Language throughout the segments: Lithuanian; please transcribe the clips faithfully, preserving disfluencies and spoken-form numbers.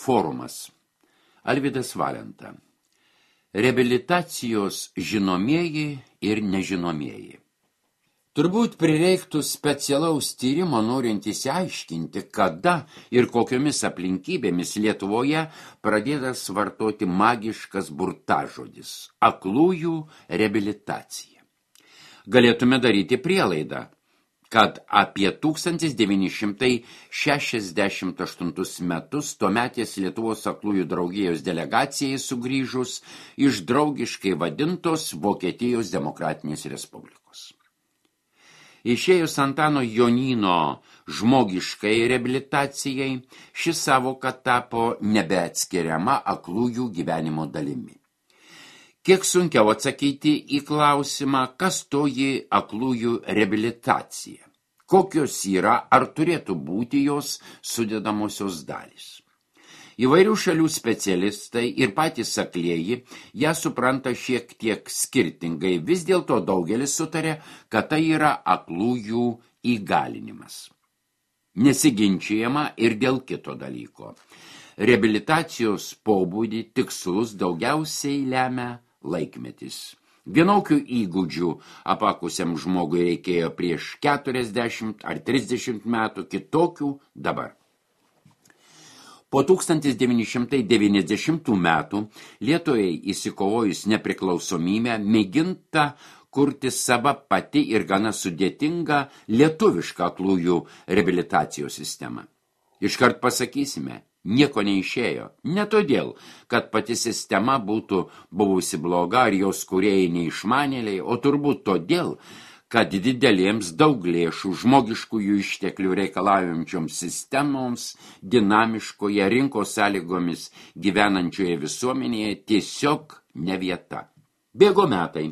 Forumas. Alvydas Valenta. Reabilitacijos žinomieji ir nežinomieji. Turbūt prireiktų specialaus tyrimo norint įsiaiškinti, kada ir kokiomis aplinkybėmis Lietuvoje pradėtas vartoti magiškas burtažodis – aklųjų reabilitacija. Galėtume daryti prielaidą, kad apie tūkstantis devyni šimtai šešiasdešimt aštuntus metus tuometės Lietuvos aklųjų draugijos delegacijai sugrįžus iš draugiškai vadintos Vokietijos Demokratinės Respublikos. Išėjus Antano Jonyno žmogiškai reabilitacijai, ši savoka tapo nebeatskiriama aklųjų gyvenimo dalimi. Kiek sunkiau atsakyti į klausimą, kas toji aklųjų reabilitacija, kokios yra ar turėtų būti jos sudedamosios dalys. Įvairių šalių specialistai ir patys aklieji ją supranta šiek tiek skirtingai, vis dėlto daugelis sutarė, kad tai yra aklųjų įgalinimas. Nesiginčijama ir dėl kito dalyko. Reabilitacijos pobūdį tikslus daugiausiai lemia laikmetis. Vienokių įgūdžių apakusiam žmogui reikėjo prieš keturiasdešimt ar trisdešimt metų, kitokių dabar. Po tūkstantis devyni šimtai devyniasdešimtų metų Lietuvai įsikovojus nepriklausomybę mėginta kurti sava pati ir gana sudėtinga lietuvišką aklųjų reabilitacijos sistemą. Iškart pasakysime, nieko neišėjo. Ne todėl, kad pati sistema būtų buvusi bloga ar jos kūrėjai neišmanėliai, o turbūt todėl, kad didelėms daug lėšų žmogiškųjų išteklių reikalaujančioms sistemoms, dinamiškoje rinkos sąlygomis gyvenančioje visuomenėje tiesiog ne vieta. Bėgo metai,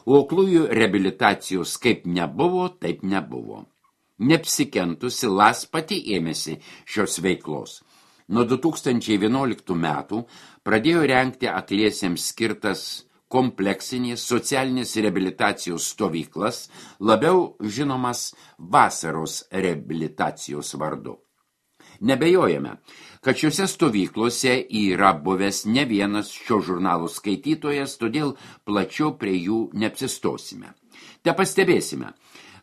o aklųjų reabilitacijos kaip nebuvo, taip nebuvo. Neapsikentusi Las pati ėmėsi šios veiklos. Nuo du tūkstančiai vienuoliktų metų pradėjo rengti akliesiems skirtas kompleksinės socialinės reabilitacijos stovyklas, labiau žinomas vasaros reabilitacijos vardu. Nebejojame, kad šiuose stovyklose yra buvęs ne vienas šio žurnalo skaitytojas, todėl plačiau prie jų neapsistosime. Te pastebėsime,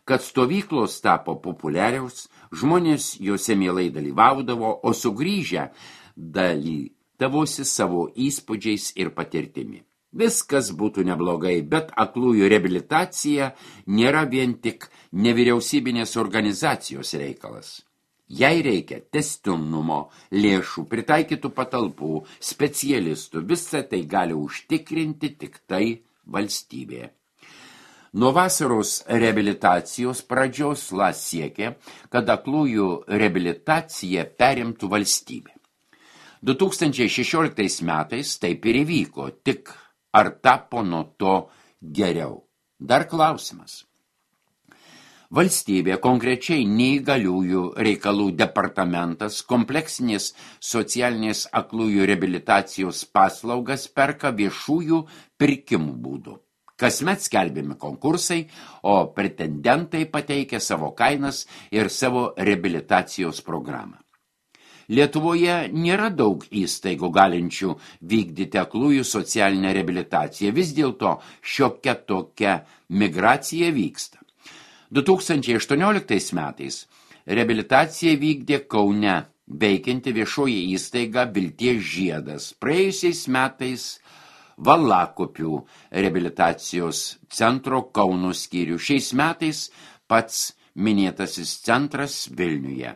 kad stovyklos tapo populiariaus, žmonės juose mielai dalyvaudavo, o sugrįžę dalydavosi savo įspūdžiais ir patirtimi. Viskas būtų neblogai, bet aklųjų reabilitacija nėra vien tik nevyriausybinės organizacijos reikalas. Jai reikia tęstinumo, lėšų, pritaikytų patalpų, specialistų, visą tai gali užtikrinti tik tai valstybė. Nuo vasaros reabilitacijos pradžios Las siekė, kad aklųjų reabilitaciją perimtų valstybė. du tūkstančiai šešioliktais metais taip ir įvyko, tik ar tapo nuo to geriau? Dar klausimas. Valstybė, konkrečiai neįgaliųjų reikalų departamentas, kompleksinės socialinės aklųjų reabilitacijos paslaugas perka viešųjų pirkimų būdų. Kasmet skelbiami konkursai, o pretendentai pateikia savo kainas ir savo reabilitacijos programą. Lietuvoje nėra daug įstaigų galinčių vykdyti aklųjų socialinę reabilitaciją, vis dėlto šiokia tokia migracija vyksta. du tūkstančiai aštuonioliktais metais reabilitaciją vykdė Kaune veikianti viešoji įstaiga Vilties žiedas, praėjusiais metais Valakopių reabilitacijos centro Kauno skyrių, šiais metais pats minėtasis centras Vilniuje.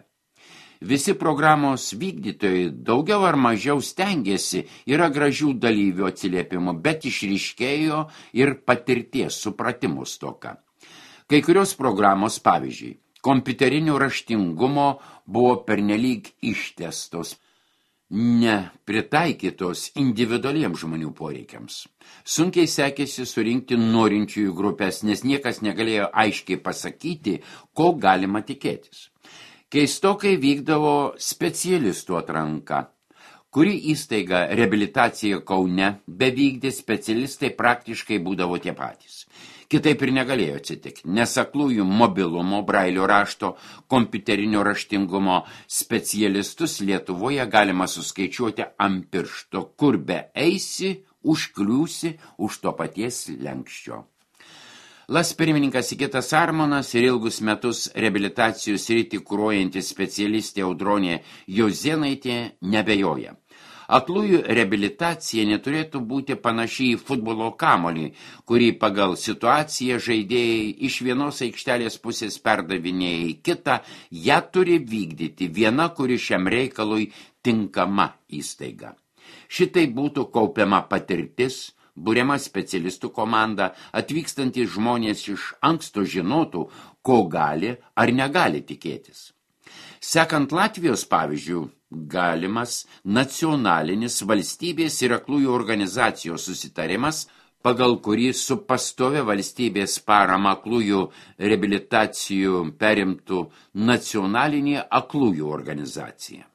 Visi programos vykdytojai daugiau ar mažiau stengiasi, yra gražių dalyvių atsiliepimų, bet išryškėjo ir patirties supratimo stoka. Kai kurios programos, pavyzdžiui, kompiuterinio raštingumo buvo pernelyg ištestos, nepritaikytos individualiems žmonių poreikiams. Sunkiai sekėsi surinkti norinčiųjų grupės, nes niekas negalėjo aiškiai pasakyti, ko galima tikėtis. Keistokai vykdavo specialistų atranka. Kuri įstaiga reabilitacija Kaune bevykdė, specialistai praktiškai būdavo tie patys. Kitaip ir negalėjo atsitikti, nes aklųjų mobilumo, brailio rašto, kompiuterinio raštingumo specialistus Lietuvoje galima suskaičiuoti ant piršto, kur be eisi, užkliūsi už to paties lenkščio. Las pirmininkas Sigitas Armonas ir ilgus metus reabilitacijos sritį kuruojantis specialistė Audronė Jozėnaitė nebejoja. Aklųjų reabilitacija neturėtų būti panaši į futbolo kamolį, kurį pagal situaciją žaidėjai iš vienos aikštelės pusės perdavinėja į kitą, ją turi vykdyti viena, kuri šiam reikalui tinkama įstaiga. Šitai būtų kaupiama patirtis, buriama specialistų komanda, atvykstantys žmonės iš anksto žinotų, ko gali ar negali tikėtis. Sekant Latvijos pavyzdžių, galimas nacionalinis valstybės ir aklųjų organizacijos susitarimas, pagal kurį su pastovia valstybės parama aklųjų reabilitacijų perimtų nacionalinė aklųjų organizacija.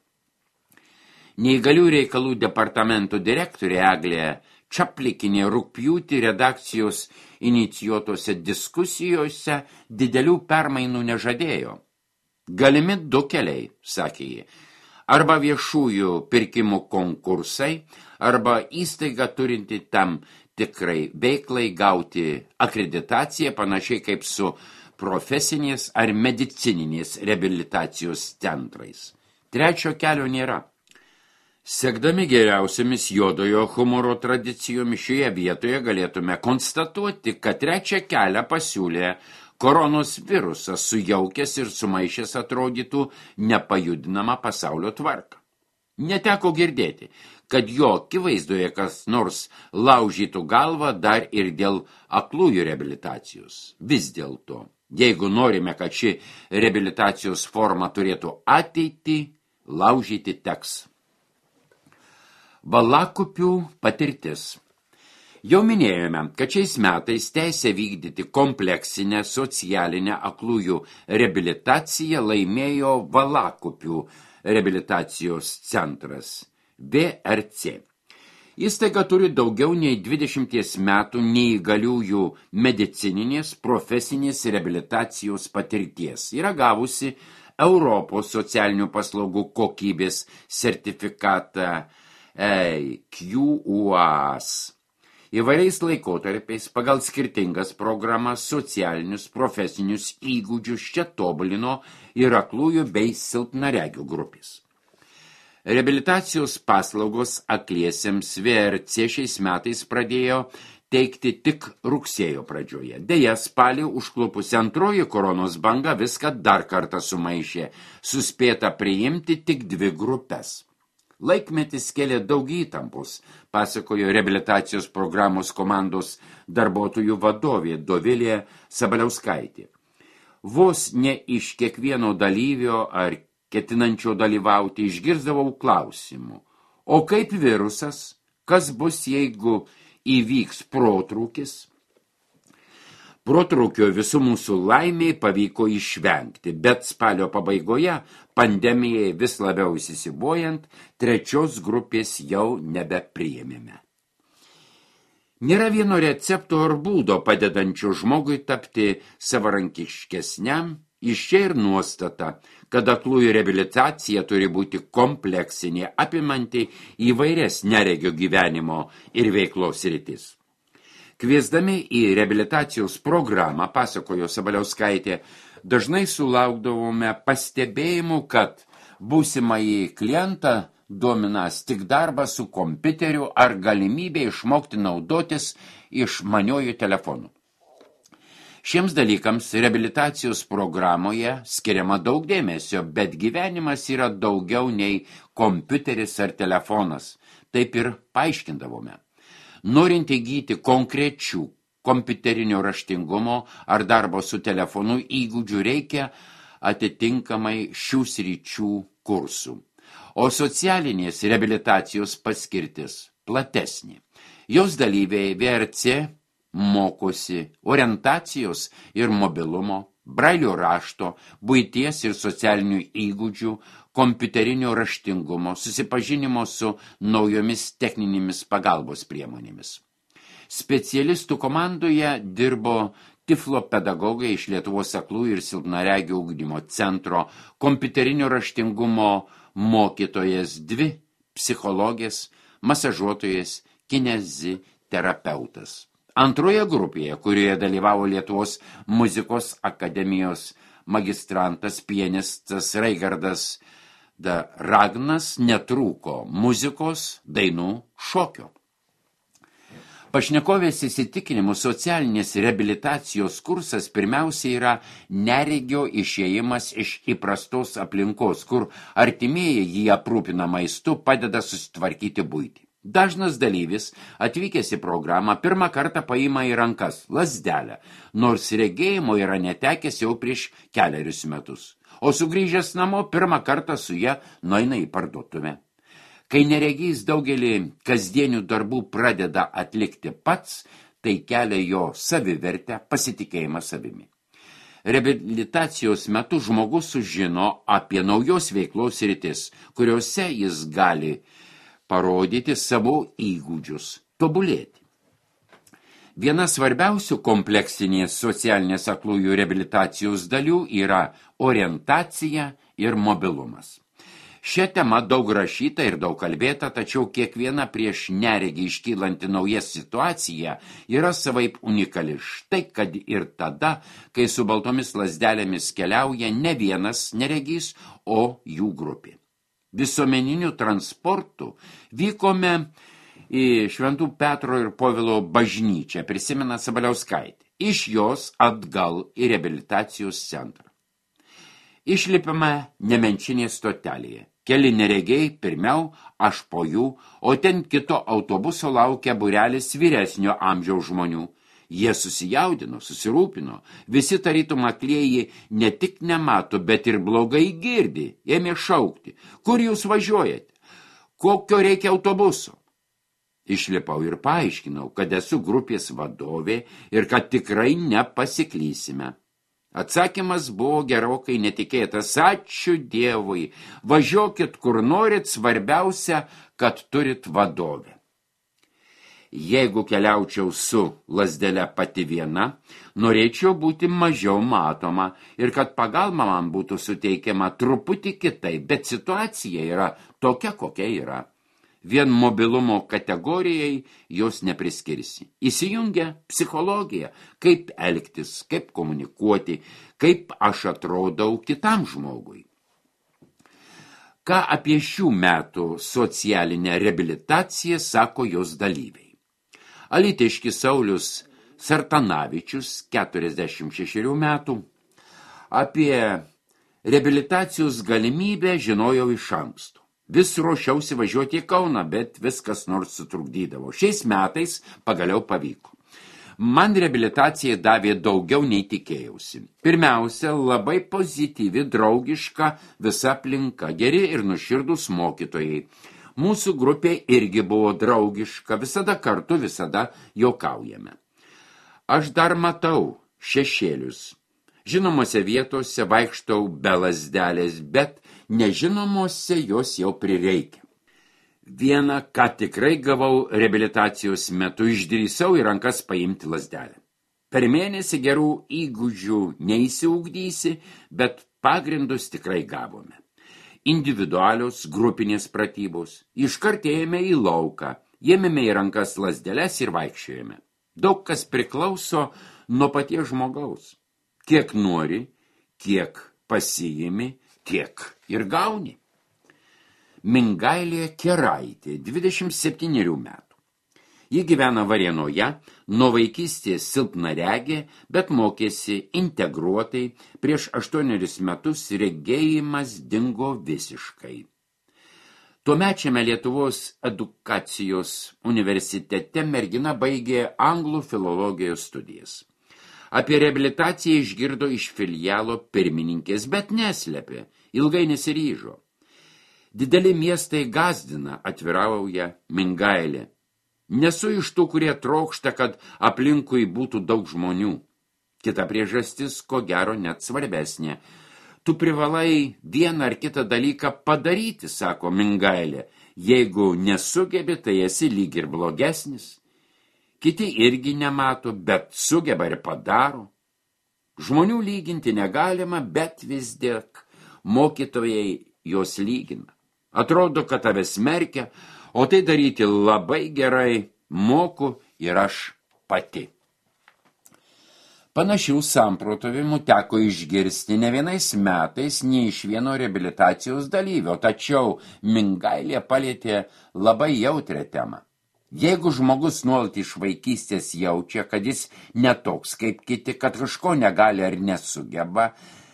Neįgalių reikalų departamento direktorė Eglė Čaplikinė rugpjūtį redakcijos inicijuotose diskusijose didelių permainų nežadėjo. Galimi du keliai, sakė ji, arba viešųjų pirkimų konkursai, arba įstaiga turinti tam tikrai veiklai gauti akreditaciją, panašiai kaip su profesinės ar medicininės reabilitacijos centrais. Trečio kelio nėra. Sekdami geriausiamis juodojo humoro tradicijomis šioje vietoje galėtume konstatuoti, kad trečią kelią pasiūlė koronos virusas sujaukęs ir sumaišęs atrodytų nepajudinamą pasaulio tvarką. Neteko girdėti, kad jo akivaizdoje kas nors laužytų galvą dar ir dėl aklųjų reabilitacijos. Vis dėlto, jeigu norime, kad ši reabilitacijos forma turėtų ateitį, laužyti teks. Valakupių patirtis. Jau minėjome, kad šiais metais teisę vykdyti kompleksinę socialinę aklųjų reabilitaciją laimėjo Valakupių reabilitacijos centras V R C. Įstaiga turi daugiau nei dvidešimties metų neįgaliųjų medicininės profesinės reabilitacijos patirties. Yra gavusi Europos socialinių paslaugų kokybės sertifikatą Q U A S. Įvairiais laikotarpiais pagal skirtingas programas socialinius profesinius įgūdžius čia tobulino ir aklųjų bei silpnaregių grupės. Reabilitacijos paslaugos akliesiems V R C šiais metais pradėjo teikti tik rugsėjo pradžioje. Deja, spalį užklupusi antroji koronos banga viską dar kartą sumaišė, suspėta priimti tik dvi grupes. Laikmetis kėlė daug įtampos, pasakojo reabilitacijos programos komandos darbuotojų vadovė Dovilė Sabaliauskaitė. Vos ne iš kiekvieno dalyvio ar ketinančio dalyvauti išgirsdavau klausimų. O kaip virusas? Kas bus, jeigu įvyks protrūkis? Protrūkio visų mūsų laimiai pavyko išvengti, bet spalio pabaigoje, pandemijai vis labiau įsisibojant, trečios grupės jau nebepriėmėme. Nėra vieno recepto ar būdo padedančio žmogui tapti savarankiškesniam, iš čia ir nuostata, kad aklųjų reabilitacija turi būti kompleksinė, apimanti įvairias neregio gyvenimo ir veiklos sritis. Kviesdami į reabilitacijos programą, pasakojo Sabaliauskaitė, dažnai sulaukdavome pastebėjimų, kad būsimąjį klientą dominas tik darbas su kompiuteriu ar galimybė išmokti naudotis išmaniuoju telefonu. Šiems dalykams reabilitacijos programoje skiriama daug dėmesio, bet gyvenimas yra daugiau nei kompiuteris ar telefonas. Taip ir paaiškindavome. Norint įgyti konkrečių kompiuterinio raštingumo ar darbo su telefonu įgūdžių reikia atitinkamai šių sričių kursų. O socialinės reabilitacijos paskirtis platesnė. Jos dalyviai V R C mokosi orientacijos ir mobilumo, brailio rašto, buities ir socialinių įgūdžių, kompiuterinio raštingumo, susipažinimo su naujomis techninėmis pagalbos priemonėmis. Specialistų komandoje dirbo tiflo pedagogai iš Lietuvos aklųjų ir silpnaregių ugdymo centro, kompiuterinio raštingumo mokytojas, dvi psichologės, masažuotojas, kineziterapeutas. Antroje grupėje, kurioje dalyvavo Lietuvos muzikos akademijos magistrantas, pianistas Raigardas da Ragnas, netrūko muzikos, dainų, šokio. Pašnekovės įsitikinimų socialinės reabilitacijos kursas pirmiausia yra neregio išėjimas iš įprastos aplinkos, kur artimieji jį aprūpina maistu, padeda susitvarkyti buitį. Dažnas dalyvis, atvykęs į programą, pirmą kartą paima į rankas lazdelę, nors regėjimo yra netekęs jau prieš kelerius metus, o sugrįžęs namo pirmą kartą su ja nueina į parduotuvę. Kai neregys daugelį kasdienių darbų pradeda atlikti pats, tai kelia jo savivertę, pasitikėjimą savimi. Reabilitacijos metu žmogus sužino apie naujos veiklos sritis, kuriuose jis gali parodyti savo įgūdžius, tobulėti. Viena svarbiausių kompleksinės socialinės aklųjų reabilitacijos dalių yra orientacija ir mobilumas. Šią temą daug rašyta ir daug kalbėta, tačiau kiekviena prieš neregį iškylanti nauja situacija yra savaip unikali. Štai kad ir tada, kai su baltomis lazdelėmis keliauja ne vienas neregys, o jų grupė. Visuomeniniu transportu vykome į Šventų Petro ir Povilo bažnyčią, prisimena Sabaliauskaitė. Iš jos atgal į reabilitacijos centrą. Išlipame Nemenčinės stotelėje. Keli neregiai, pirmiau, aš po jų, o ten kito autobuso laukia būrelis vyresnio amžiaus žmonių. Jie susijaudino, susirūpino, visi tarytum aklieji ne tik nemato, bet ir blogai girdi, ėmė šaukti. Kur jūs važiuojate? Kokio reikia autobuso? Išlipau ir paaiškinau, kad esu grupės vadovė ir kad tikrai nepasiklysime. Atsakymas buvo gerokai netikėtas. Ačiū Dievui, važiuokit kur norit, svarbiausia, kad turit vadovę. Jeigu keliaučiau su lazdele pati viena, norėčiau būti mažiau matoma ir kad pagalba man būtų suteikiama truputį kitai, bet situacija yra tokia, kokia yra. Vien mobilumo kategorijai jos nepriskirsi. Įsijungia psichologija, kaip elgtis, kaip komunikuoti, kaip aš atrodau kitam žmogui. Ką apie šių metų socialinę reabilitaciją sako jos dalyviai. Alytiškis Saulius Sartanavičius, keturiasdešimt šešerių metų, apie reabilitacijos galimybę žinojau iš anksto. Vis ruošiausi važiuoti į Kauną, bet viskas nors sutrukdydavo. Šiais metais pagaliau pavyko. Man reabilitacija davė daugiau nei tikėjausi. Pirmiausia, labai pozityvi, draugiška visa aplinka, geri ir nuširdus mokytojai. Mūsų grupė irgi buvo draugiška, visada kartu, visada juokaujame. Aš dar matau šešėlius. Žinomose vietose vaikštau be lazdelės, bet nežinomose jos jau prireikia. Vieną, ką tikrai gavau reabilitacijos metu, išdrįsau į rankas paimti lazdelę. Per mėnesį gerų įgūdžių neįsiugdysi, bet pagrindus tikrai gavome. Individualios, grupinės pratybos. Iškart ėjome į lauką, ėmėme į rankas lazdeles ir vaikščiojame. Daug kas priklauso nuo paties žmogaus. Kiek nori, kiek pasiimi, tiek ir gauni. Mingailė Keraitė, dvidešimt septynerių metų. Ji gyvena Varėnoje, nuo vaikystės silpnaregė, bet mokėsi integruotai, prieš aštuonerius metus regėjimas dingo visiškai. Tuomečiame Lietuvos edukacijos universitete mergina baigė anglų filologijos studijas. Apie reabilitaciją išgirdo iš filialo pirmininkės, bet neslėpė, ilgai nesiryžo. Dideli miestai gazdina, atvirauja Mingailė. Nesu iš tų, kurie trokšta, kad aplinkui būtų daug žmonių. Kita priežastis, ko gero, net svarbesnė. Tu privalai vieną ar kitą dalyką padaryti, sako Mingailė. Jeigu nesugebi, tai esi lyg ir blogesnis. Kiti irgi nemato, bet sugeba ir padaro. Žmonių lyginti negalima, bet vis dėk mokytojai juos lygina. Atrodo, kad tave smerkia, o tai daryti labai gerai moku ir aš pati. Panašių samprotavimų teko išgirsti ne vienais metais, nei iš vieno reabilitacijos dalyvio, tačiau Mingailė palietė labai jautrią temą. Jeigu žmogus nuolat iš vaikystės jaučia, kad jis netoks kaip kiti, kad kažko negali ar nesugeba,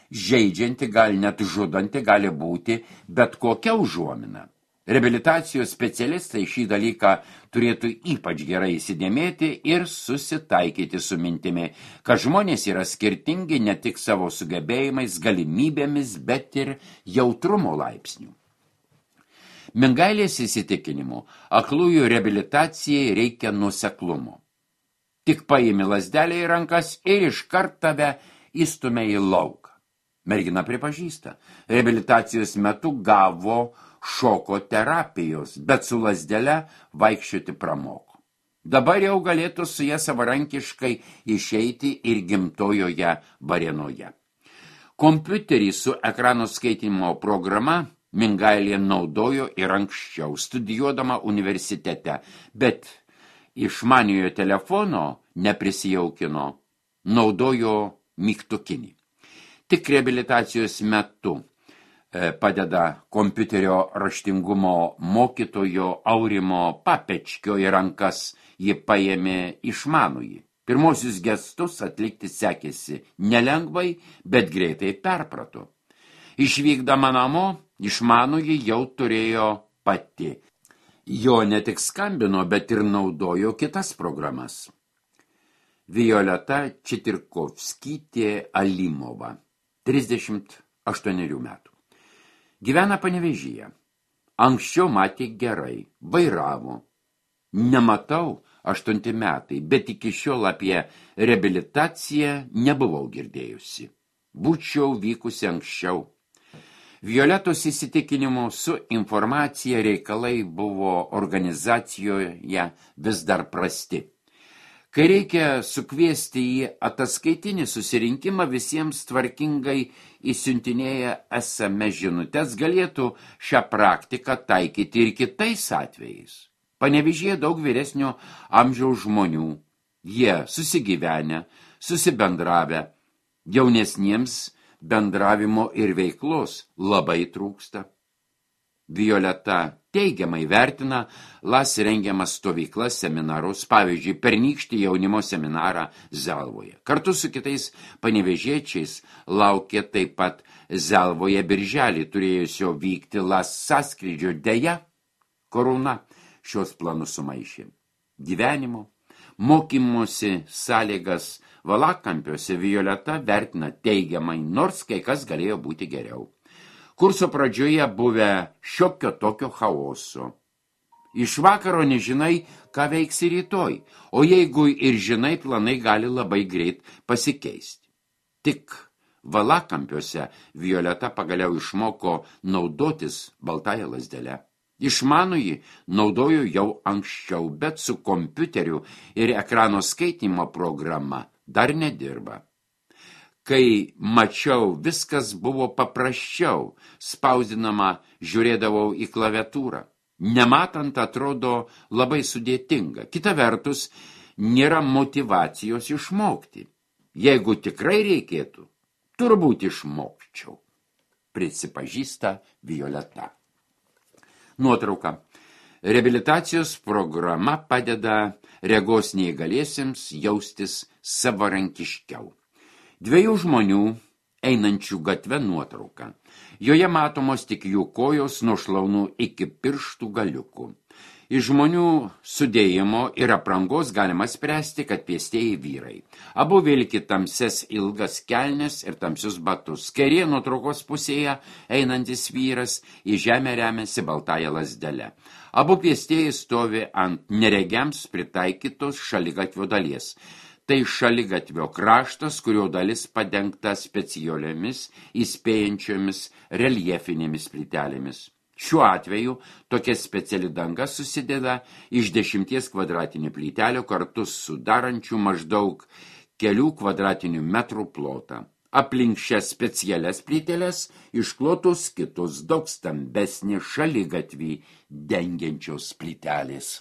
žeidžianti, gal net žudanti gali būti bet kokia užuomina. Reabilitacijos specialistai šį dalyką turėtų ypač gerai įsidėmėti ir susitaikyti su mintimi, kad žmonės yra skirtingi ne tik savo sugebėjimais, galimybėmis, bet ir jautrumo laipsnių. Mingailės įsitikinimu, aklųjų reabilitacijai reikia nuoseklumo. Tik paimi lazdelę į rankas ir iškart tave įstumia į lauką. Mergina pripažįsta, reabilitacijos metu gavo šoko terapijos, bet su lazdele vaikščioti pramoko. Dabar jau galėtų su ja savarankiškai išeiti ir gimtojoje Varėnoje. Kompiuterį su ekrano skaitymo programa Mingailė naudojo ir anksčiau, studijuodama universitete, bet išmaniojo telefono neprisijaukino, naudojo mygtukinį. Tik reabilitacijos metu padeda kompiuterio raštingumo mokytojo Aurimo Papečkio į rankas, ji paėmė išmanųjį. Pirmosius gestus atlikti sekėsi nelengvai, bet greitai perprato. Išvykdama namo, išmanųjį jau turėjo pati. Jo ne tik skambino, bet ir naudojo kitas programas. Violeta Čitirkovskytė Alimova, trisdešimt aštuonerių metų. Gyvena Panevėžyje. Anksčiau matė gerai, vairavo. Nematau aštunti metai, bet iki šiol apie reabilitaciją nebuvau girdėjusi. Būčiau vykusi anksčiau. Violetos įsitikinimu su informacija reikalai buvo organizacijoje vis dar prasti. Kai reikia sukviesti į ataskaitinį susirinkimą, visiems tvarkingai įsiuntinėja es em es žinutes, galėtų šią praktiką taikyti ir kitais atvejais. Panevėžyje daug vyresnio amžiaus žmonių. Jie susigyvenę, susibendravę, jaunesniems bendravimo ir veiklos labai trūksta. Violeta teigiamai vertina las rengiamas stovyklas, seminarus, pavyzdžiui, pernykštį jaunimo seminarą Zelvoje. Kartu su kitais panevėžiečiais laukė taip pat Zelvoje birželį turėjusio vykti las sąskrydžio. Deja, korona šios planus sumaišė. Gyvenimo, mokymosi sąlygas Valakampiuose Violeta vertina teigiamai, nors kai kas galėjo būti geriau. Kurso pradžioje buvę šiokio tokio chaoso. Iš vakaro nežinai, ką veiksi rytoj, o jeigu ir žinai, planai gali labai greit pasikeisti. Tik Valakampiuose Violeta pagaliau išmoko naudotis baltąją lazdelę. Išmanųjį naudoju jau anksčiau, bet su kompiuteriu ir ekrano skaitymo programa dar nedirba. Kai mačiau, viskas buvo paprasčiau, spausdinama žiūrėdavau į klaviatūrą. Nematant atrodo labai sudėtinga. Kita vertus, nėra motyvacijos išmokti. Jeigu tikrai reikėtų, turbūt išmokčiau, prisipažįsta Violeta. Nuotrauka. Reabilitacijos programa padeda regos neįgaliesiems jaustis savarankiškiau. Dviejų žmonių einančių gatve nuotrauka. Joje matomos tik jų kojos nuo šlaunų iki pirštų galiukų. Iš žmonių sudėjimo ir aprangos galima spręsti, kad pėstieji vyrai. Abu vilki tamses ilgas kelnes ir tamsius batus. Kairėje nuotraukos pusėje einantis vyras į žemę remiasi baltąją lazdelę. Abu pėstieji stovi ant neregiams pritaikytos šaligatvio dalies. Tai šaligatvio kraštas, kurio dalis padengta specialiomis įspėjančiomis reljefinėmis plytelėmis. Šiuo atveju tokia speciali danga susideda iš dešimties kvadratinių plytelių kartu sudarančių maždaug kelių kvadratinių metrų plotą. Aplink šias specialias plyteles išklotos kitos daug stambesnės šaligatvį dengiančios plytelės.